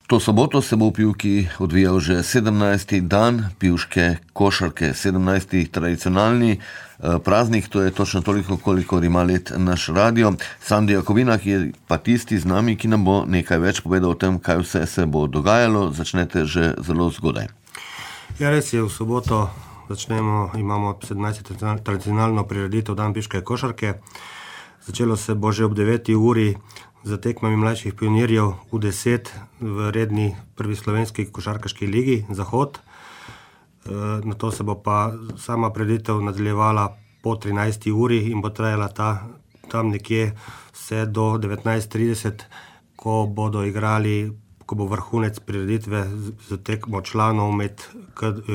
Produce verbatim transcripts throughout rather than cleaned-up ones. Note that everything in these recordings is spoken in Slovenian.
To soboto se bo v Pivki odvijal že sedemnajsti dan pivške košarke, sedemnajsti tradicionalni praznik, to je točno toliko, kolikor ima let naš radio. Sandi Jakovinak je pa tisti z nami, ki nam bo nekaj več povedal o tem, kaj vse se bo dogajalo. Začnete že zelo zgodaj. Ja, res je, v soboto začnemo, imamo sedemnajsto tradicionalno prireditev dan pivške košarke. Začelo se bo že ob deveti uri za tekmami mlajših pionirjev U deset v redni prvi slovenski košarkaški ligi Zahod. E, na to se bo pa sama prireditev nadaljevala po trinajsti uri in bo trajala ta, tam nekje vse do devetnajst trideset, ko bodo igrali, ko bo vrhunec prireditve z tekmo članov med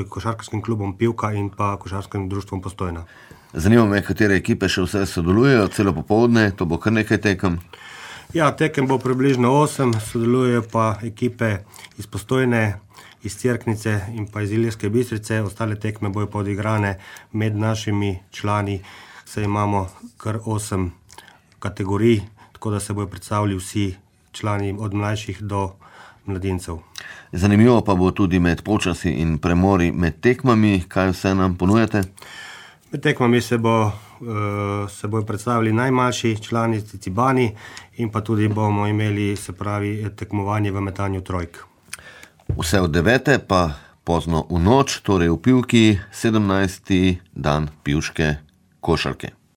košarkarskim klubom Pivka in pa košarkarskim društvom Postojna. Zanima me, katere ekipe še vse sodelujejo, celo popoldne, to bo kar nekaj tekem. Ja, tekem bo približno osem, sodelujejo pa ekipe iz Postojne, iz Cerknice in pa iz Ilirske Bistrice. Ostale tekme bojo pa odigrane med našimi člani, saj imamo kar osem kategorij, tako da se bojo predstavili vsi člani od mlajših do mladincev. Zanimivo pa bo tudi med počasi in premori med tekmami, kaj vse nam ponujate? Med tekmami se bo se bojo predstavili najmlajši člani Cicibani in pa tudi bomo imeli, se pravi, tekmovanje v metanju trojk. Vse od devete pa pozno v noč, torej v Pivki, sedemnajsti dan pivške košarke.